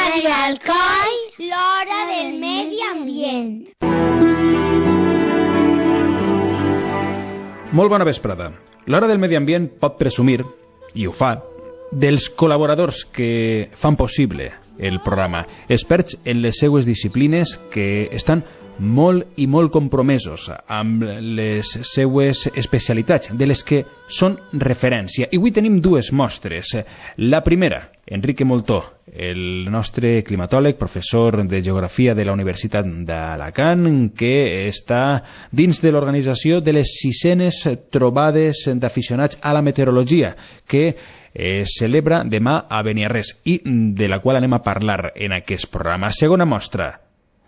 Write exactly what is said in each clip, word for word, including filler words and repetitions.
Radio Alcoi, l'hora del medi ambient. Molt bona vesprada. L'hora del medi ambient pot presumir, i ho fa, dels col·laboradors que fan possible el programa, experts en les seues disciplines que estan molt i molt compromesos amb les seues especialitats, de les que són referència. I avui tenim dues mostres. La primera, Enrique Moltó, el nostre climatòleg, professor de Geografia de la Universitat d'Alacant, que està dins de l'organització de les sisenes trobades d'aficionats a la meteorologia, que es celebra demà a Beniarrés i de la qual anem a parlar en aquest programa. Segona mostra,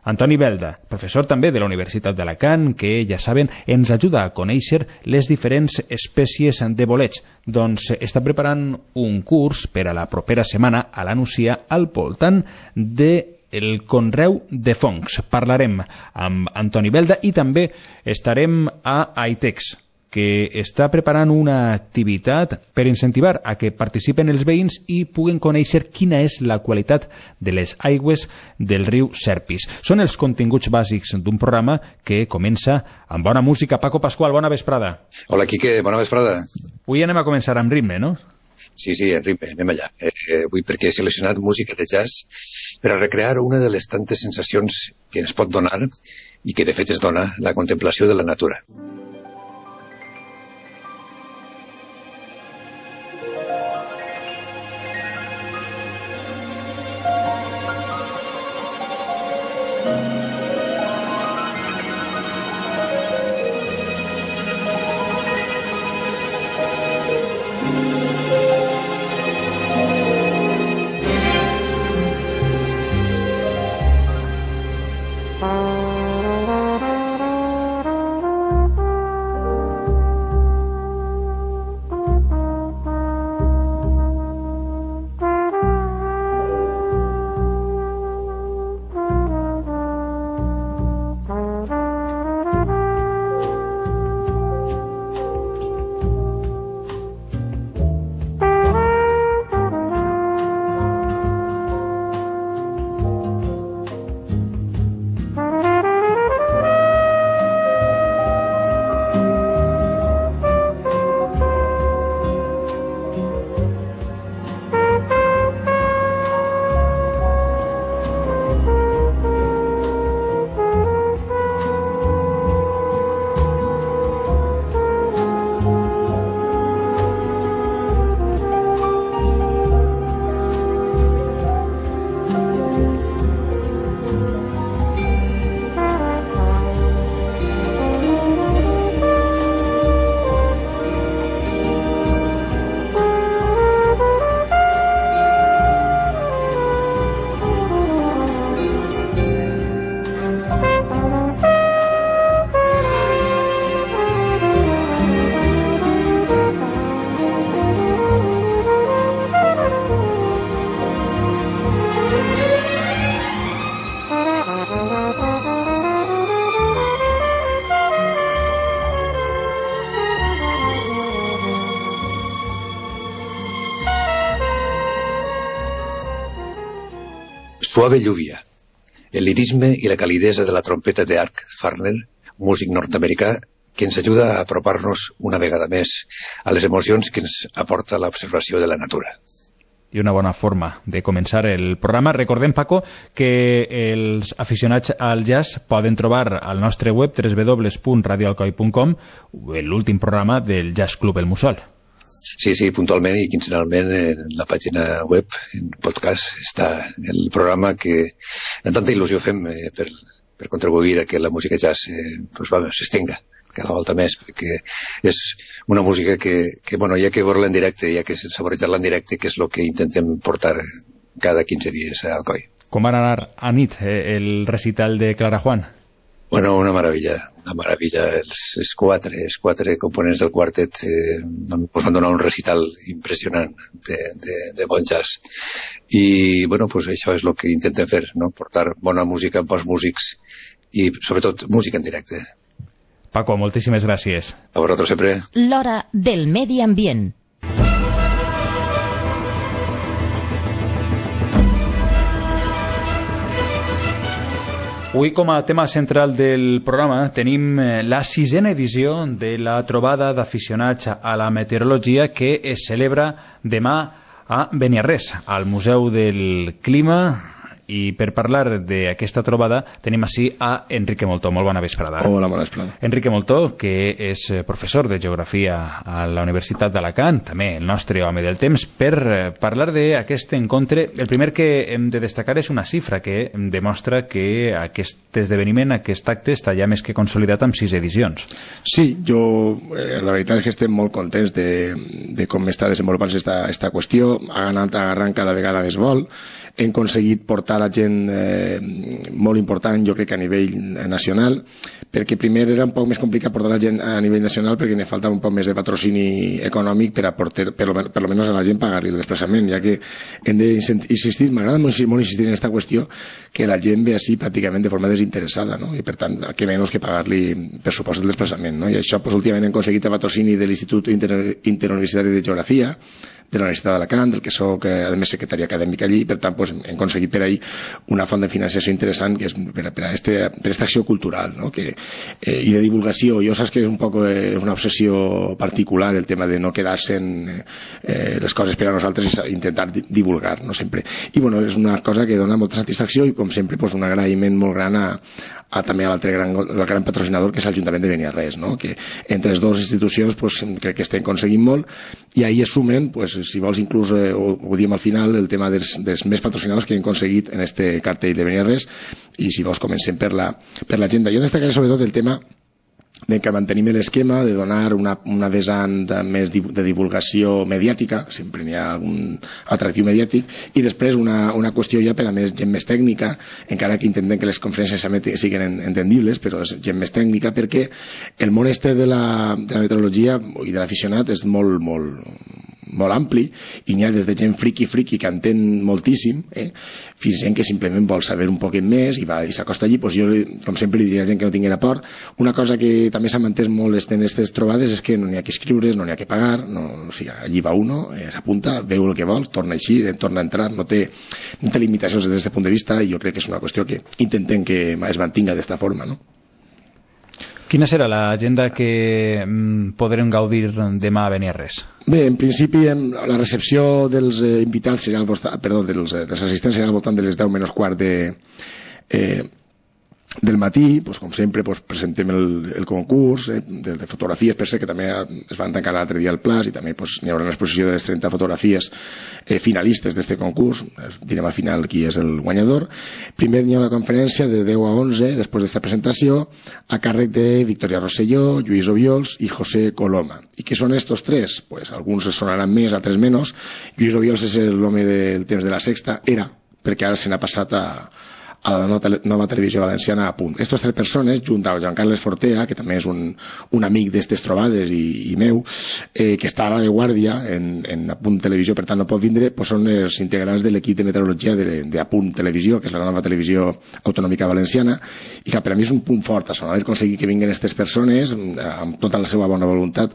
Antoni Belda, professor també de la Universitat d'Alacant, que, ja saben, ens ajuda a conèixer les diferents espècies de bolets. Doncs està preparant un curs per a la propera setmana a la Nucia al voltant del conreu de fongs. Parlarem amb Antoni Belda i també estarem a Aitex, que està preparant una activitat per incentivar a que participen els veïns i puguen conèixer quina és la qualitat de les aigües del riu Serpis. Són els continguts bàsics d'un programa que comença amb bona música. Paco Pascual, bona vesprada. Hola, Quique, bona vesprada. Avui anem a començar amb ritme, no? Sí, sí, en ritme, anem allà. Eh, avui perquè he seleccionat música de jazz per a recrear una de les tantes sensacions que ens pot donar i que de fet es dona la contemplació de la natura. Suave lluvia, el lirisme i la calidesa de la trompeta de Art Farner, músic nord-americà, que ens ajuda a apropar-nos una vegada més a les emocions que ens aporta l'observació de la natura. I una bona forma de començar el programa. Recordem, Paco, que els aficionats al jazz poden trobar al nostre web w w w punt radio alcoi punt com l'últim programa del Jazz Club El Mussol. Sí, sí, puntualment i quinzenalment en la pàgina web, en podcast, està el programa que amb tanta il·lusió fem eh, per, per contribuir a que la música jazz eh, pues, va, s'estenga cada volta més, perquè és una música que, que bueno, hi ha que veure-la en directe, hi ha que saborejar-la en directe, que és el que intentem portar cada quinze dies a Alcoi. Com va anar a nit eh, el recital de Clara Juan? Bueno, una meravella, una meravella. Els, els quatre, els quatre components del quartet eh, pues van donar un recital impressionant de, de, de bon jazz. I, bueno, pues això és el que intentem fer, no? Portar bona música amb bons músics i, sobretot, música en directe. Paco, moltíssimes gràcies. A vosaltres sempre. L'hora del medi ambient. Avui, com a tema central del programa, tenim la sisena edició de la trobada d'aficionats a la meteorologia que es celebra demà a Beniarrés, al Museu del Clima. I per parlar d'aquesta trobada tenim així a Enrique Moltó. Molt bona vesprada. Hola, bona vesprada. Enrique Moltó, que és professor de Geografia a la Universitat d'Alacant, també el nostre home del temps, per parlar d'aquest encontre. El primer que hem de destacar és una xifra que demostra que aquest esdeveniment, aquest acte, està ja més que consolidat amb sis edicions. Sí, jo, eh, la veritat és que estem molt contents de, de com està desenvolupant-se esta, esta qüestió. Ha anat agarrant cada vegada més vol. Hem aconseguit portar la gent eh, molt important, jo crec que a nivell nacional, perquè primer era un poc més complicat portar la gent a nivell nacional perquè ne faltava un poc més de patrocini econòmic per a portar, per, per almenys a la gent pagar-li el desplaçament, ja que hem d'insistir, m'agrada molt, molt insistir en aquesta qüestió, que la gent ve així pràcticament de forma desinteressada, no? I per tant, que menys que pagar-li per supost el desplaçament, no? I això, pues, últimament hem aconseguit el patrocini de l'Institut Inter Interuniversitari de Geografia, de la Universitat d'Alacant, del que soc, a més, secretari acadèmic allí, i per tant pues, hem aconseguit per ahí una font de financiació interessant que és per a, per a, este, per a esta acció cultural, no? Que, eh, i de divulgació. Jo saps que és un poc eh, una obsessió particular el tema de no quedar-se en eh, les coses per a nosaltres i intentar divulgar, no sempre. I bueno, és una cosa que dona molta satisfacció i com sempre pues, un agraïment molt gran a, a també a l'altre gran, el gran patrocinador que és l'Ajuntament de Beniarrés, no? Que entre les dues institucions pues, crec que estem aconseguint molt i ahir es sumen pues, si vols inclús eh, ho, ho diem al final el tema dels, dels més patrocinadors que hem aconseguit en este cartell de Beniarrés i si vols comencem per la, per l'agenda. Jo destacaré sobretot el tema de que mantenim l'esquema de donar una, una vessant de, més de divulgació mediàtica, sempre n'hi ha algun atractiu mediàtic, i després una, una qüestió ja per a més gent més tècnica, encara que intentem que les conferències siguin entendibles, però és gent més tècnica perquè el món este de la, de la meteorologia i de l'aficionat és molt, molt, molt ampli i n'hi ha des de gent friqui friqui que entén moltíssim eh? Fins gent que simplement vol saber un poquet més i, va, i s'acosta allí. Pues jo, com sempre, li diria a gent que no tinguera por. Una cosa que també s'ha mantès molt en aquestes trobades és que no n'hi ha que escriure, no n'hi ha que pagar, no, o sigui, allí va uno, eh, s'apunta, veu el que vol, torna així, eh, torna a entrar, no té, no té limitacions des d'aquest punt de vista i jo crec que és una qüestió que intentem que es mantinga d'esta forma, no? Quina serà l'agenda que mm, podrem gaudir demà a Beniarrés? Bé, en principi la recepció dels eh, invitats serà al voltant, perdó, dels, dels assistents serà al voltant de les deu menys quart de, eh, del matí, pues, com sempre pues, presentem el, el concurs eh, de, de fotografies, per ser que també es van tancar l'altre dia al Plas i també pues, hi haurà una exposició de les trenta fotografies eh, finalistes d'aquest concurs, direm al final qui és el guanyador. Primer hi ha una conferència de deu a onze després d'esta presentació a càrrec de Victoria Rosselló, Lluís Obiols i José Coloma. I qui són estos tres? Pues, alguns sonaran més, altres menys. Lluís Obiols és l'home del temps de la Sexta, era, perquè ara se n'ha passat a a la nova televisió valenciana a Punt. Aquestes tres persones, junt a Joan Carles Fortea, que també és un, un amic d'estes trobades i, i meu, eh, que està ara de guàrdia en, en A Punt Televisió, per tant no pot vindre, pues són els integrants de l'equip de meteorologia de, de A Punt Televisió, que és la nova televisió autonòmica valenciana, i que per a mi és un punt fort, a son haver aconseguit que vinguin aquestes persones, amb tota la seva bona voluntat.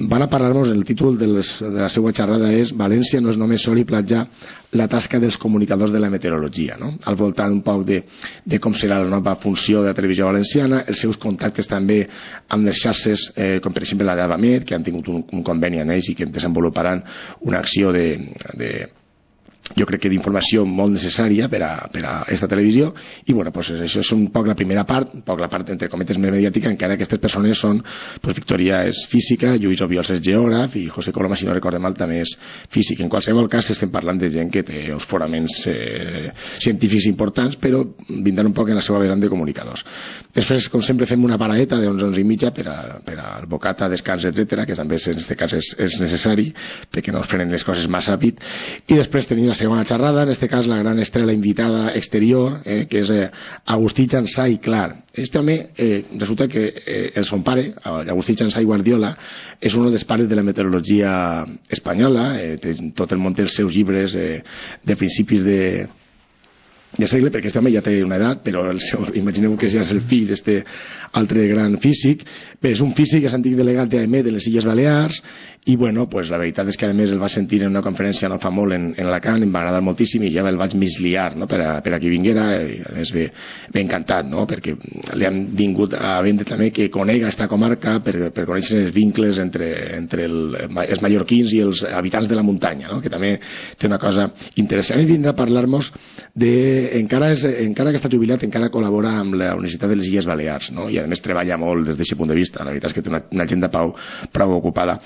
Van a parlar-nos, el títol de, les, de la seva xerrada és València no és només sol i platja, la tasca dels comunicadors de la meteorologia, no? Al voltant un poc de, de com serà la nova funció de la televisió valenciana, els seus contactes també amb les xarxes, eh, com per exemple la d'Avamet, que han tingut un, un conveni amb ells i que desenvoluparan una acció de, de jo crec que d'informació molt necessària per a, per a esta televisió i bueno, pues això és un poc la primera part, un poc la part entre cometes més mediàtica, encara que aquestes persones són, pues Victoria és física, Lluís Obiols és geògraf i José Coloma, si no recorde mal, també és físic. En qualsevol cas estem parlant de gent que té els fonaments eh, científics importants, però vindran un poc en la seva vessant de comunicadors. Després, com sempre, fem una paradeta d'onze, onze i mitja per, a, per al bocata, descans, etcètera, que també en aquest cas és, és necessari perquè no es prenen les coses massa ràpid, i després tenim la segona xerrada, en aquest cas la gran estrella invitada exterior, eh, que és eh, Agustí Jansà i Clar. Este home, eh, resulta que eh, el son pare, Agustí Jansà i Guardiola, és un dels pares de la meteorologia espanyola, eh, té, tot el món té els seus llibres eh, de principis de de segle, perquè aquest home ja té una edat, però el seu, imagineu que ja és el fill d'este altre gran físic. Bé, és un físic, és antic delegat d'A M E de les Illes Balears, i bueno, pues la veritat és que a més el va sentir en una conferència no fa molt en, en Alacant, em va agradar moltíssim i ja el vaig misliar, no?, per a, per a que vinguera, i a més bé, bé encantat, no?, perquè li han vingut a vendre també que conega esta comarca per, per conèixer els vincles entre, entre el, els mallorquins i els habitants de la muntanya, no?, que també té una cosa interessant. I vindrà a parlar-nos de, encara, és, encara que està jubilat, encara col·labora amb la Universitat de les Illes Balears, no?, i a més treballa molt des d'aquest punt de vista. La veritat és que té una, una agenda prou, prou ocupada.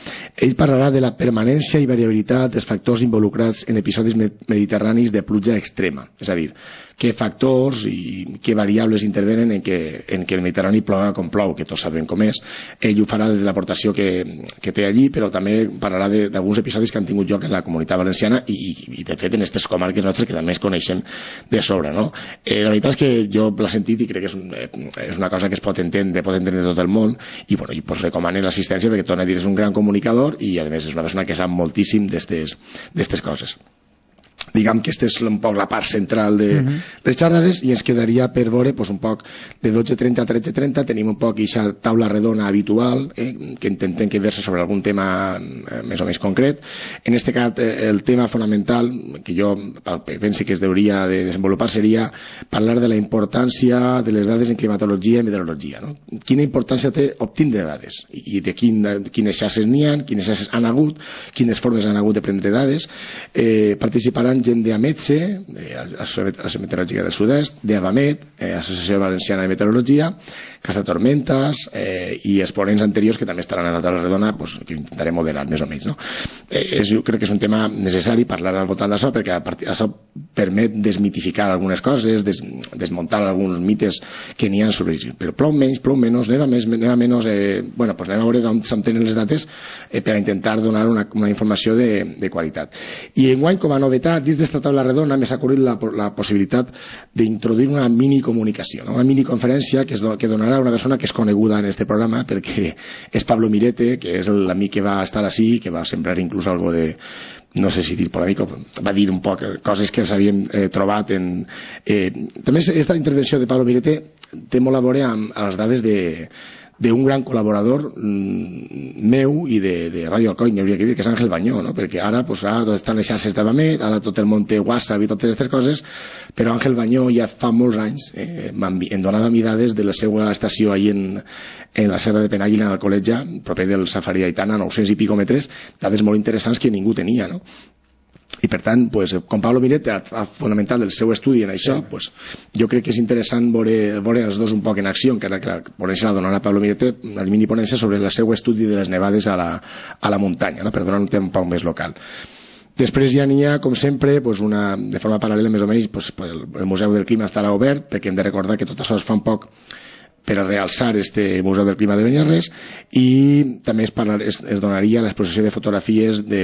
Ell parlarà de la permanència i variabilitat dels factors involucrats en episodis mediterranis de pluja extrema, és a dir, què factors i què variables intervenen en que, en que el Mediterrani ploga com plou, que tots sabem com és. Ell ho farà des de l'aportació que, que té allí, però també parlarà d'alguns episodis que han tingut lloc en la Comunitat Valenciana i, i de fet en aquestes comarques nostres que també es coneixen de sobre, no? Eh, la veritat és que jo l'he sentit i crec que és, un, eh, és una cosa que es pot entendre, pot entendre tot el món, i bueno, i pues recomano l'assistència perquè torna a dir és un gran comunicador i a més és una persona que sap moltíssim d'aquestes coses. Diguem que aquesta és un poc la part central de uh-huh. les xerrades, i ens quedaria per veure pues, un poc de dotze trenta a tretze trenta tenim un poc aquesta taula redona habitual, eh, que intentem que verse sobre algun tema eh, més o menys concret. En aquest cas eh, el tema fonamental que jo penso que es hauria de desenvolupar seria parlar de la importància de les dades en climatologia i meteorologia, no? Quina importància té obtindre dades i de quin, quines xarxes n'hi ha, quines xarxes han hagut, quines formes han hagut de prendre dades. Eh, participaran gent d'AMETSE, Associació Meteorològica del Sud-est, d'AVAMET, eh, Associació Valenciana de Meteorologia, Cazatormentas eh, i exponents anteriors que també estaran a la taula redona, pues, que intentaré moderar més o menys, no? Eh, és, jo crec que és un tema necessari parlar al voltant d'això, perquè a partir d'això permet desmitificar algunes coses, des, desmuntar alguns mites que n'hi ha sobre ells, però plou menys, plou menys, neva més, neva menys, eh, bueno, pues anem a veure d'on s'obtenen les dates eh, per a intentar donar una, una informació de, de qualitat. I enguany, com a novetat, dins d'esta taula redona m'ha ocorrit la, la possibilitat d'introduir una minicomunicació, no? Una miniconferència que, es, que donarà una persona que és coneguda en este programa perquè és Pablo Mirete, que és l'amic que va estar així, que va sembrar inclús algo de, no sé si dir polèmic, va dir un poc coses que s'havien eh, trobat en... Eh, també aquesta intervenció de Pablo Mirete té molt a veure amb les dades de d'un gran col·laborador mmm, meu i de, de Ràdio Alcoi, m'hauria de dir, que és Àngel Banyó, no? Perquè ara pues, ah, estan les xarxes d'Avamet, ara tot el món té WhatsApp i totes aquestes coses, però Àngel Banyó ja fa molts anys eh, em donava mi dades de la seva estació ahí en, en la Serra de Penàguila, en el Col·letge, proper del Safari d'Aitana, nou-cents i pico metres, dades molt interessants que ningú tenia, no? I per tant, pues, com Pablo Mirete ha fonamentat el seu estudi en això, pues, jo crec que és interessant veure, veure els dos un poc en acció, encara que la ponència la donarà Pablo Mirete, una mini ponència sobre el seu estudi de les nevades a la, a la muntanya, no? Per donar un tema un poc més local. Després ja n'hi ha, com sempre, pues una, de forma paral·lela més o menys, pues, el, el Museu del Clima estarà obert, perquè hem de recordar que tot això es fa un poc per a realçar este Museu del Clima de Beniarrés, i també es, parlar, es, es donaria l'exposició de fotografies de,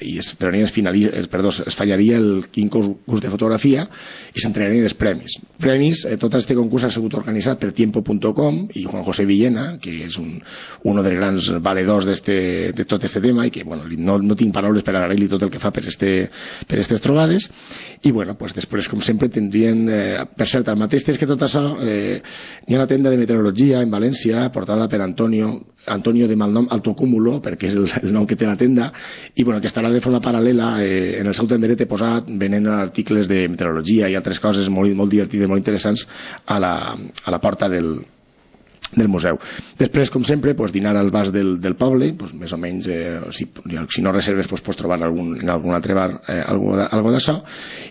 i es, es, finalitza, perdó, es fallaria el quinze concurs de fotografia i s'entrenarien els premis. Premis, eh, tot este concurs ha sigut organitzat per tiempo punt com i Juan José Villena, que és un, un dels grans valedors de tot este tema i que bueno, no, no tinc paraules per agrair-li tot el que fa per este, per aquestes trobades. I bueno, pues després, com sempre, tindrien, eh, per cert, el mateix temps que tot això, eh, hi ha una tenda de meteorologia en València, portada per Antonio, Antonio de malnom Altocúmulo, perquè és el, el nom que té la tenda, i bueno, que estarà de forma paral·lela eh, en el seu tenderet posat venent articles de meteorologia i altres coses molt, molt divertides, molt interessants a la, a la porta del del museu. Després, com sempre, pues, dinar al bar del, del poble, pues, més o menys, eh, si, si no reserves pues, pots trobar algun, en algun altre bar eh, algo, algo d'això,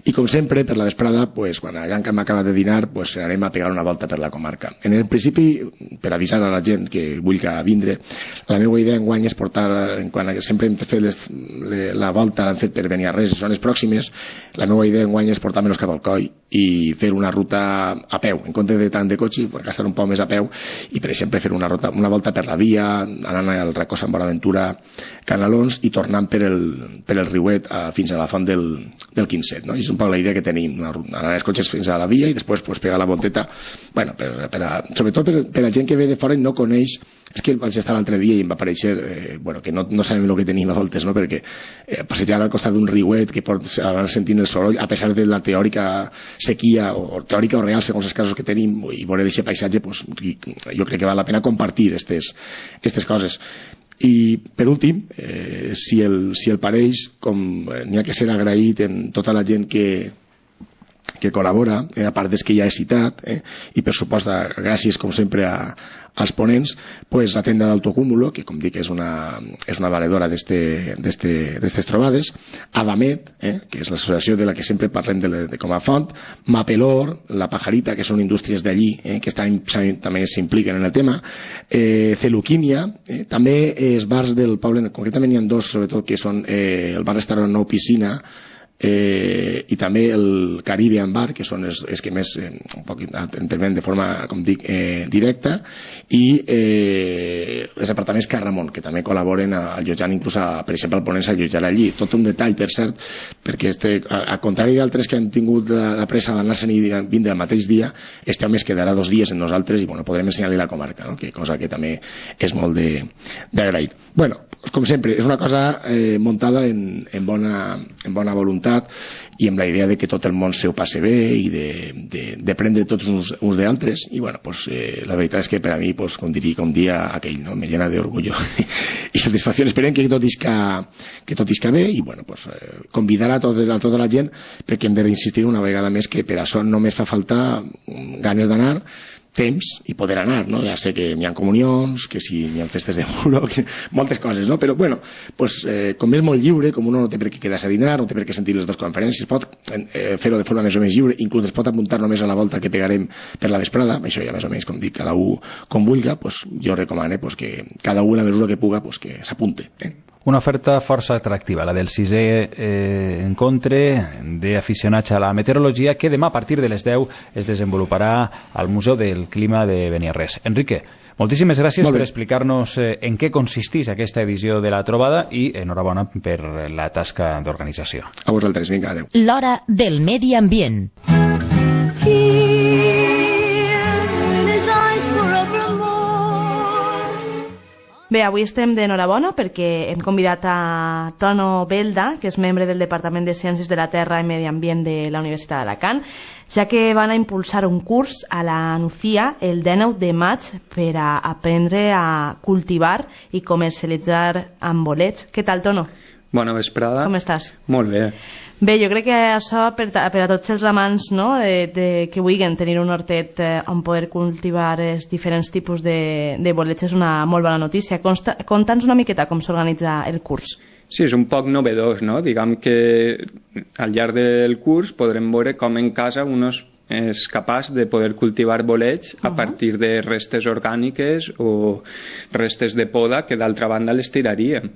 i com sempre, per la vesprada, pues, quan ja hem acabat de dinar, pues, anem a pegar una volta per la comarca. En el principi, per avisar a la gent que vulgui vindre, la meva idea enguany és portar, quan sempre hem fet les, les, la volta l'hem fet per Beniarrés i zones pròximes, la meva idea enguany és portar-me'ls cap al Coi i fer una ruta a peu, en compte de tant de cotxe, gastar un poc més a peu, i per exemple fer una, ruta, una volta per la via, anant al racó Sant Bonaventura Canalons i tornant per el, per el riuet a, fins a la font del, del Quinzet, no? I és un poc la idea que tenim, anar els cotxes fins a la via i després pues, pegar la volteta, bueno, per, per a, sobretot per, per a gent que ve de fora i no coneix és que vaig estar l'altre dia i em va aparèixer eh, bueno, que no, no sabem el que tenim a voltes, no? Perquè eh, passejar al costat d'un riuet que pots anar sentint el soroll a pesar de la teòrica sequia o, o teòrica o real segons els casos que tenim i veure aquest paisatge, pues, jo crec que val la pena compartir aquestes coses. I per últim, eh, si, el, si el pareix, com eh, n'hi ha que ser agraït en tota la gent que que col·labora, eh, a part des que ja he citat, eh, i per supost gràcies com sempre a, als ponents, pues, la tenda d'autocúmulo, que com dic és una, és una valedora d'aquestes trobades, Adamet, eh, que és l'associació de la que sempre parlem de, de com a font, Mapelor, La Pajarita, que són indústries d'allí, eh, que estan, també s'impliquen en el tema, eh, Celuquímia, eh, també els bars del poble, concretament hi ha dos sobretot, que són eh, el bar-restaurant Nou Piscina, Eh, i també el Caribbean Bar, que són els, els que més eh, un poc intervenen de forma, com dic, eh, directa, i eh, els apartaments Carramon, que també col·laboren allotjant, inclús a, per exemple, al ponent s'allotjar allí. Tot un detall, per cert, perquè este, a, a contrari d'altres que han tingut la, la pressa d'anar-se'n i vindre el mateix dia, este home es quedarà dos dies en nosaltres i bueno, podrem ensenyar-li la comarca, no? Que cosa que també és molt d'agrair. Bueno, com sempre, és una cosa eh, muntada en, en, bona, en bona voluntat i amb la idea de que tot el món se ho passe bé i de, de, de prendre tots uns, uns d'altres i bueno, pues, eh, la veritat és que per a mi, pues, com diria com dia aquell, no? Me llena d'orgullo i satisfacció. Esperem que tot isca, que tot isca bé i bueno, pues, eh, convidar a, tots, a tota la gent, perquè hem de reinsistir una vegada més que per això només fa falta ganes d'anar, temps i poder anar, no? Ja sé que n'hi ha comunions, que si n'hi ha festes de muro, que... moltes coses, no? Però, bueno, pues, eh, com és molt lliure, com uno no té per què quedar-se a dinar, no té per què sentir les dues conferències, pot eh, fer-ho de forma més o menys lliure, inclús es pot apuntar només a la volta que pegarem per la vesprada, això ja més o menys, com dic, cada un com vulga, pues, jo recomano pues, que cada un a la mesura que puga pues, que s'apunte. Eh? Una oferta força atractiva, la del sisè eh, encontre d'aficionats a la meteorologia, que demà a partir de les deu es desenvoluparà al Museu del Clima de Beniarrés. Enrique, moltíssimes gràcies per explicar-nos eh, en què consisteix aquesta edició de la trobada i enhorabona per la tasca d'organització. A vosaltres, vinga, adeu. L'hora del medi ambient. Bé, avui estem d'enhorabona perquè hem convidat a Tono Belda, que és membre del Departament de Ciències de la Terra i Medi Ambient de la Universitat d'Alacant, ja que van a impulsar un curs a la Nucía el dinou de maig per a aprendre a cultivar i comercialitzar amb bolets. Què tal, Tono? Bona vesprada. Com estàs? Molt bé. Bé, jo crec que això per, per a tots els amants, no, de, de, que vulguin tenir un hortet eh, on poder cultivar els diferents tipus de, de bolets és una molt bona notícia. Conta'ns una miqueta com s'organitza el curs. Sí, és un poc novedós, no? Diguem que al llarg del curs podrem veure com en casa un és capaç de poder cultivar bolets a partir de restes orgàniques o restes de poda que d'altra banda les tiraríem.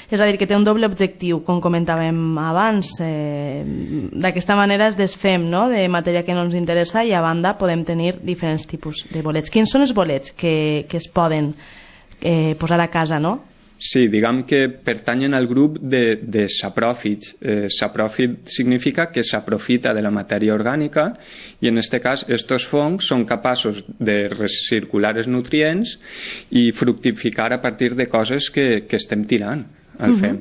És a dir, que té un doble objectiu, com comentàvem abans. Eh, d'aquesta manera es desfem, no?, de matèria que no ens interessa i a banda podem tenir diferents tipus de bolets. Quins són els bolets que, que es poden eh, posar a casa, no? Sí, diguem que pertanyen al grup de, de sapròfits. Eh, sapròfit significa que s'aprofita de la matèria orgànica i en aquest cas estos fongs són capaços de recircular els nutrients i fructificar a partir de coses que, que estem tirant al uh-huh. fem.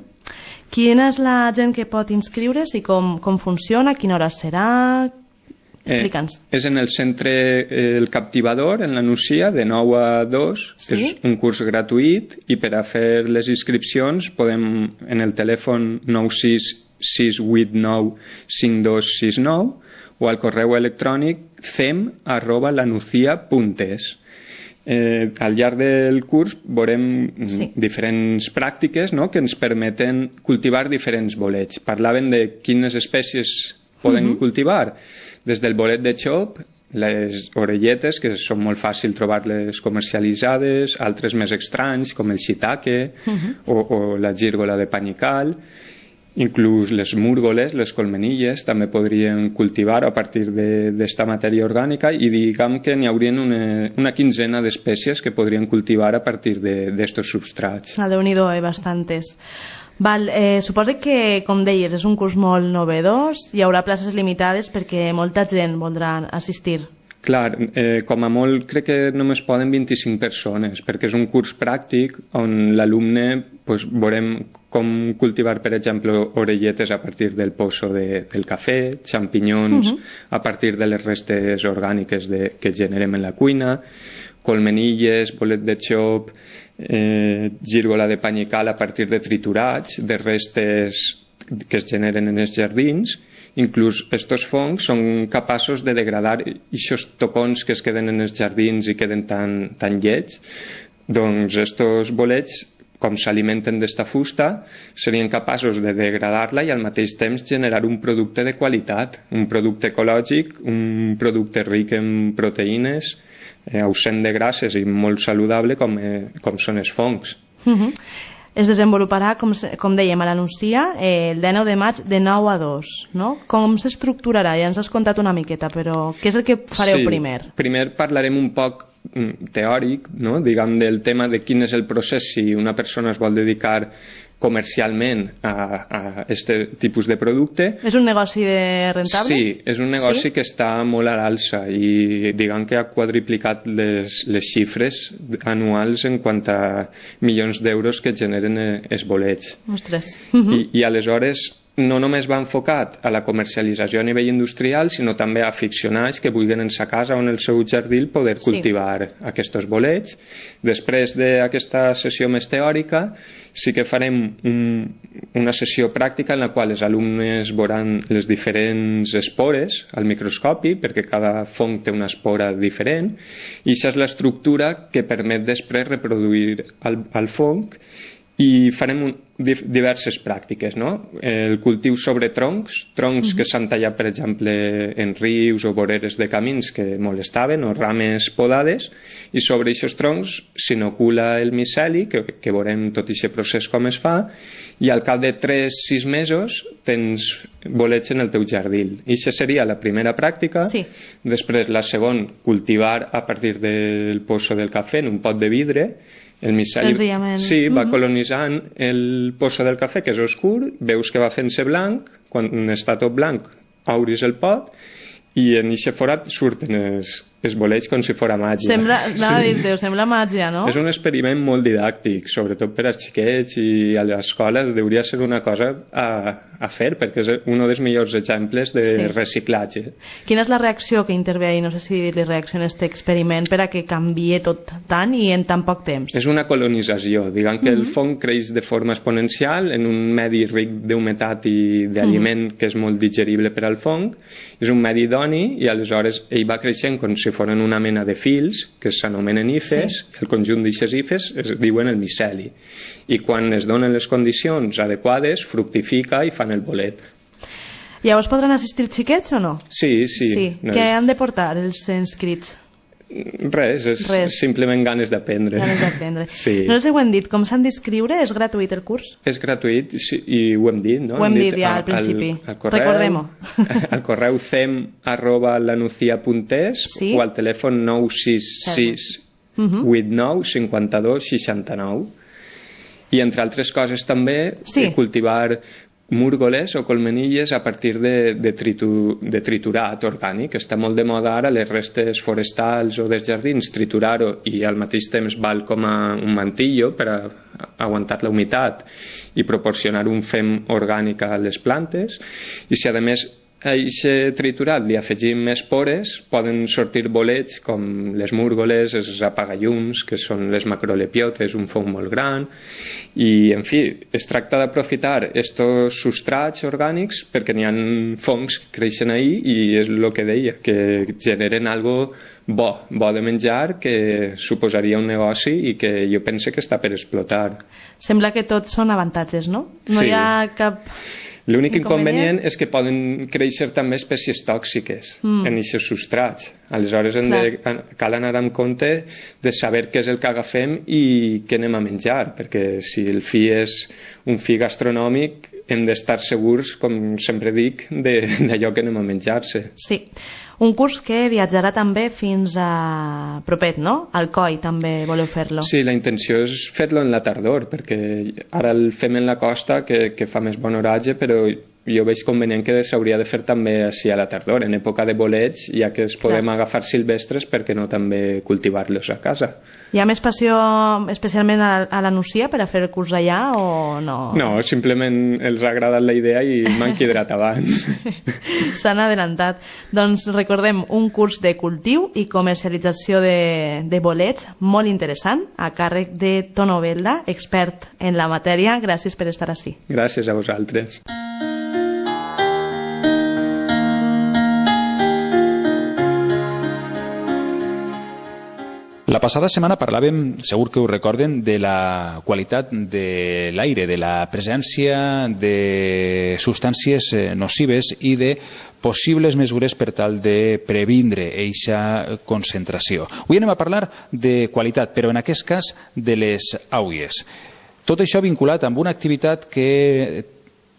Quina és la gent que pot inscriure's i com, com funciona, a quina hora serà? Explica'ns. Eh, és en el centre eh, El Captivador, en la Nucía, de nou a dos. Sí? És un curs gratuït i per a fer les inscripcions podem en el telèfon nou sis sis vuit nou cinc dos sis nou o al correu electrònic cem arroba lanucia punt es. Eh, al llarg del curs veurem sí. diferents pràctiques, no?, que ens permeten cultivar diferents bolets. Parlaven de quines espècies poden uh-huh. cultivar, des del bolet de xop, les orelletes, que són molt fàcil trobar-les comercialitzades, altres més estranys, com el shiitake uh-huh. o, o la gírgola de panical, inclús les múrgoles, les colmenilles, també podrien cultivar a partir d'esta matèria orgànica i diguem que n'hi haurien una, una quinzena d'espècies que podrien cultivar a partir d'estos substrats. Ah, Déu-n'hi-do, eh, bastantes. Val, eh, suposo que, com deies, és un curs molt novedós, hi haurà places limitades perquè molta gent voldrà assistir. Clar, eh, com a molt crec que només poden vint-i-cinc persones, perquè és un curs pràctic on l'alumne pues, veurem com cultivar, per exemple, orelletes a partir del pozo de, del cafè, xampinyons uh-huh. a partir de les restes orgàniques de, que generem en la cuina, colmenilles, bolet de xop, eh, gírgola de pany i cal a partir de triturats, de restes que es generen en els jardins. Inclús estos fongs són capaços de degradar aquests tocons que es queden en els jardins i queden tan, tan llets. Doncs estos bolets, com s'alimenten d'esta fusta, serien capaços de degradar-la i al mateix temps generar un producte de qualitat, un producte ecològic, un producte ric en proteïnes, eh, ausent de grasses i molt saludable com, eh, com són els fongs. Uh-huh. Es desenvoluparà, com, com dèiem a l'Anuncia, eh, el dinou de maig de nou a dos, no? Com s'estructurarà? Ja ens has contat una miqueta, però què és el que fareu sí, primer? Primer parlarem un poc teòric, no? Diguem, del tema de quin és el procés si una persona es vol dedicar comercialment a, a este tipus de producte. És un negoci de rentable? Sí, és un negoci sí? que està molt a l'alça i diguem que ha quadriplicat les, les xifres anuals en quant a milions d'euros que generen els bolets. Ostres. Uh-huh. I, I aleshores no només va enfocat a la comercialització a nivell industrial, sinó també a aficionats que vulguin en sa casa o en el seu jardí poder cultivar sí. aquests bolets. Després d'aquesta sessió més teòrica, sí que farem un, una sessió pràctica en la qual els alumnes veuran les diferents espores al microscopi, perquè cada fong té una espora diferent, i això és l'estructura que permet després reproduir el, el fong. I farem un, diverses pràctiques, no? El cultiu sobre troncs, troncs uh-huh. que s'han tallat, per exemple, en rius o voreres de camins que molestaven, o rames podades, i sobre aquests troncs s'inocula el miceli, que, que veurem tot aquest procés com es fa, i al cap de tres a sis mesos tens bolets en el teu jardí. I això seria la primera pràctica. Sí. Després, la segona, cultivar a partir del pozo del cafè en un pot de vidre. El miceli sí, va colonitzant el pozo del cafè, que és oscur, veus que va fent-se blanc, quan està tot blanc obris el pot i en aquest forat surten els, els bolets com si fora màgia. Sembla, anava sí. a dir-te, sembla màgia, no? És un experiment molt didàctic, sobretot per als xiquets i a les escoles hauria de ser una cosa a, a fer, perquè és un dels millors exemples de sí. reciclatge. Quina és la reacció que intervé ahí? No sé si dir-li reacció en aquest experiment per a que canvie tot tant i en tan poc temps. És una colonització, diguem que mm-hmm. el fong creix de forma exponencial en un medi ric d'humitat i d'aliment mm-hmm. que és molt digerible per al fong. És un medi idoni i aleshores ell va creixent com si foren una mena de fils que s'anomenen hifes, sí. el conjunt d'aixes hifes es diuen el miceli, i quan es donen les condicions adequades fructifica i fan el bolet. Llavors podran assistir xiquets o no? Sí, sí. sí. No. Què han de portar els inscrits? Res, és Res. simplement ganes d'aprendre. Ganes d'aprendre. Sí. No sé si ho hem dit, com s'han d'inscriure? És gratuït el curs? És gratuït, sí, i ho hem dit, no? Ho hem, hem dit, dit ja al principi. Al, al correu, recordem-ho. Al correu cem arroba lanucia punt es sí? o al telèfon nou sis sis vuit nou cinc dos sis nou. I entre altres coses també sí. cultivar múrgoles o colmenilles a partir de, de, tritu, de triturat orgànic. Està molt de moda ara les restes forestals o dels jardins, triturar-ho i al mateix temps val com a un mantillo per a aguantar la humitat i proporcionar un fem orgànic a les plantes. I si a més a aquest triturat li afegim més pores, poden sortir bolets com les múrgoles, els apagallums, que són les macrolepiotes, un fong molt gran, i en fi, es tracta d'aprofitar estos substrats orgànics perquè n'hi ha fongs que creixen ahí i és el que deia, que generen algo bo, bo de menjar, que suposaria un negoci i que jo pense que està per explotar. Sembla que tots són avantatges, no? No sí. hi ha cap... L'únic inconvenient és que poden créixer també espècies tòxiques mm. en aquests substrats. Aleshores hem de, cal anar amb compte de saber què és el que agafem i què anem a menjar, perquè si el fi és un fi gastronòmic hem d'estar segurs, com sempre dic, d'allò que anem a menjar-se. Sí. Un curs que viatjarà també fins a propet, no? Alcoi també voleu fer-lo. Sí, la intenció és fer-lo en la tardor, perquè ara el fem en la costa, que, que fa més bon oratge, però jo veig convenient que s'hauria de fer també així a la tardor, en època de bolets, ja que es podem Clar. agafar silvestres, per què no també cultivar-los a casa. Hi ha més passió especialment a, a la Nucia per a fer el curs allà o no? No, simplement els ha agradat la idea i m'han quedrat abans. S'han adelantat. Doncs recordem un curs de cultiu i comercialització de, de bolets molt interessant a càrrec de Tono Belda, expert en la matèria. Gràcies per estar ací. Gràcies a vosaltres. La passada setmana parlàvem, segur que ho recorden, de la qualitat de l'aire, de la presència de substàncies nocives i de possibles mesures per tal de previndre eixa concentració. Avui anem a parlar de qualitat, però en aquest cas de les aules. Tot això vinculat amb una activitat que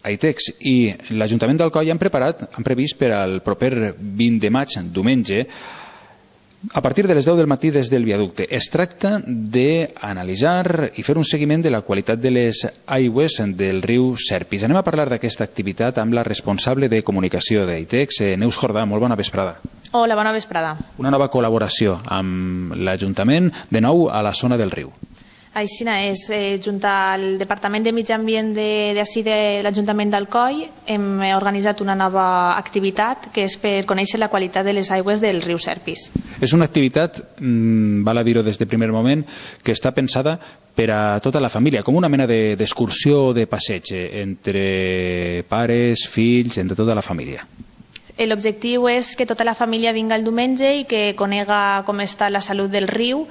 Aitex i l'Ajuntament d'Alcoi han preparat, han previst per al proper vint de maig, diumenge, a partir de les deu del matí des del viaducte. Es tracta d'analitzar i fer un seguiment de la qualitat de les aigües del riu Serpis. Anem a parlar d'aquesta activitat amb la responsable de comunicació d'Aitex, Neus Jordà. Molt bona vesprada. Hola, bona vesprada. Una nova col·laboració amb l'Ajuntament, de nou a la zona del riu. Així és, eh, junt al Departament de Mitjà Ambient d'ací de, de l'Ajuntament d'Alcoi hem organitzat una nova activitat que és per conèixer la qualitat de les aigües del riu Serpis. És una activitat, mmm, val a dir-ho des del primer moment, que està pensada per a tota la família, com una mena d'excursió o de passeig entre pares, fills, entre tota la família. L'objectiu és que tota la família vinga el diumenge i que conega com està la salut del riu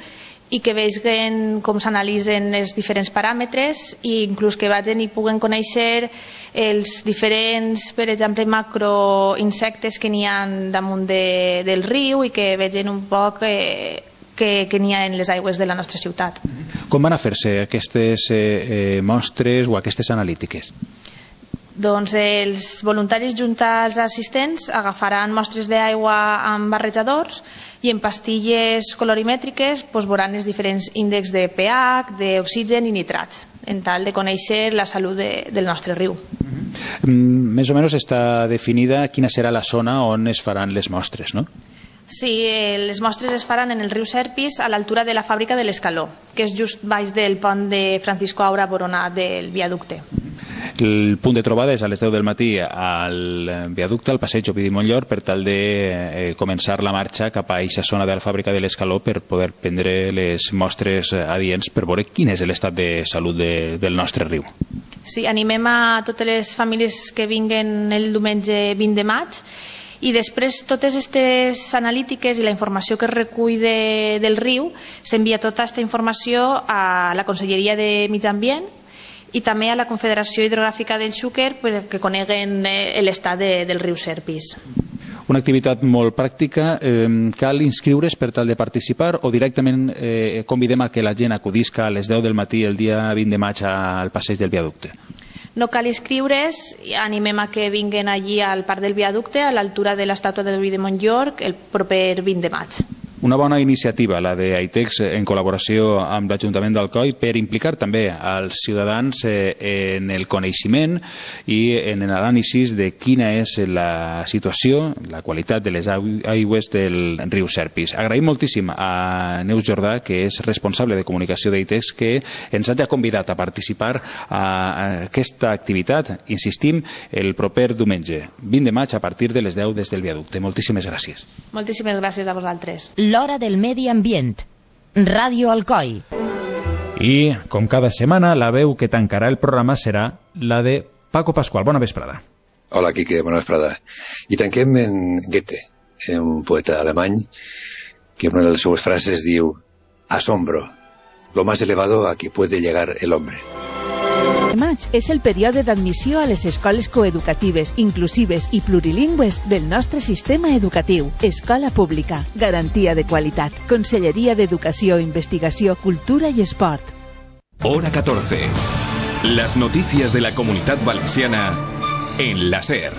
i que vegin com s'analitzen els diferents paràmetres i inclús que vagin i puguen conèixer els diferents, per exemple, macroinsectes que n'hi ha damunt de, del riu i que vegin un poc eh, que, que n'hi ha en les aigües de la nostra ciutat. Com van a fer-se aquestes eh, eh, mostres o aquestes analítiques? Doncs els voluntaris junt als assistents agafaran mostres d'aigua amb barrejadors i en pastilles colorimètriques doncs, veuran els diferents índexs de pH, d'oxigen i nitrats, en tal de conèixer la salut de, del nostre riu. Mm, més o menys està definida quina serà la zona on es faran les mostres, no? Sí, eh, les mostres es faran en el riu Serpis a l'altura de la fàbrica de l'Escaló, que és just baix del pont de Francisco Aura Boronat del viaducte. El punt de trobada és a les deu del matí al viaducte, al passeig Ovidi Montllor, per tal de eh, començar la marxa cap a aquesta zona de la fàbrica de l'Escaló per poder prendre les mostres adients per veure quin és l'estat de salut de, del nostre riu. Sí, animem a totes les famílies que vinguen el diumenge vint de maig i després totes aquestes analítiques i la informació que es recull de, del riu s'envia tota aquesta informació a la Conselleria de Mitjà Ambient i també a la Confederació Hidrogràfica del Xúquer perquè coneguen l'estat de, del riu Serpis. Una activitat molt pràctica. Eh, cal inscriure's per tal de participar o directament eh, convidem a que la gent acudisca a les deu del matí el dia vint de maig al passeig del viaducte? No cal inscriure's, animem a que vinguen allí al parc del viaducte a l'altura de l'estàtua de Ovidi Montllor el proper vint de maig. Una bona iniciativa, la de Aitex, en col·laboració amb l'Ajuntament d'Alcoi, per implicar també als ciutadans en el coneixement i en l'anàlisi de quina és la situació, la qualitat de les aigües del riu Serpis. Agraïm moltíssim a Neus Jordà, que és responsable de comunicació d'Aitex, que ens hagi convidat a participar a aquesta activitat, insistim, el proper diumenge, vint de maig, a partir de les deu des del viaducte. Moltíssimes gràcies. Moltíssimes gràcies a vosaltres. L'Hora del Medi Ambient. Ràdio Alcoi. I, com cada setmana, la veu que tancarà el programa serà la de Paco Pascual. Bona vesprada. Hola, Quique, bona vesprada. I tanquem en Goethe, un poeta alemany, que una de les seues frases diu: asombro, lo más elevado a que puede llegar el hombre. Maig és el període d'admissió a les escoles coeducatives, inclusives i plurilingües del nostre sistema educatiu. Escola pública, garantia de qualitat. Conselleria d'Educació, Investigació, Cultura i Esport. Hora catorce. Las noticias de la Comunitat Valenciana en la SER.